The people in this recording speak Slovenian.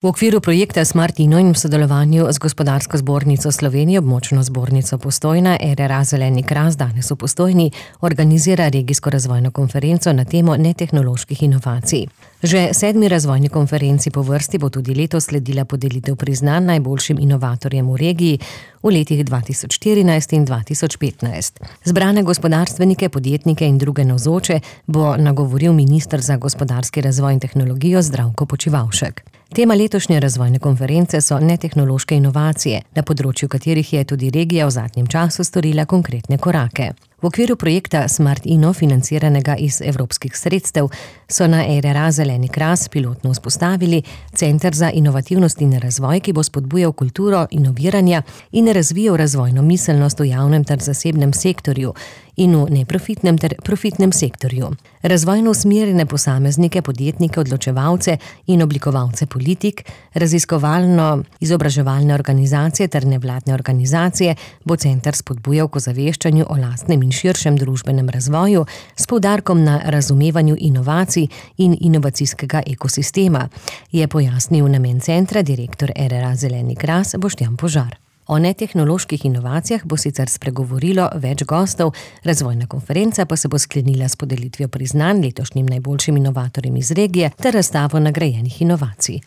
V okviru projekta Smart Inno in v sodelovanju z Gospodarsko zbornico Slovenije, območno zbornico Postojna, RRA Zeleni kras danes v Postojni organizira regijsko razvojno konferenco na temo netehnoloških inovacij. Že 7. razvojni konferenci po vrsti bo tudi letos sledila podelitev priznanj najboljšim inovatorjem v regiji v letih 2014 in 2015. Zbrane gospodarstvenike, podjetnike in druge navzoče bo nagovoril minister za gospodarski razvoj in tehnologijo Zdravko Počivalšek. Tema letošnje razvojne konference so netehnološke inovacije, na področju katerih je tudi regija v zadnjem času storila konkretne korake. V okviru projekta Smart Inno, financiranega iz evropskih sredstev, so na RRA Zeleni kras pilotno vzpostavili Center za inovativnost in razvoj, ki bo spodbujal kulturo inoviranja in razvijal razvojno miselnost v javnem ter zasebnem sektorju in v neprofitnem ter profitnem sektorju. Razvojno usmerjene posameznike, podjetnike, odločevalce in oblikovalce politik, raziskovalno-izobraževalne organizacije ter nevladne organizacije bo center spodbujal k ozaveščanju o lastnem in širšem družbenem razvoju s poudarkom na razumevanju inovacij in inovacijskega ekosistema, je pojasnil namen centra direktor RRA Zeleni kras Boštjan Požar. O netehnoloških inovacijah bo sicer spregovorilo več gostov, razvojna konferenca pa se bo sklenila s podelitvijo priznanj letošnjim najboljšim inovatorjem iz regije ter razstavo nagrajenih inovacij.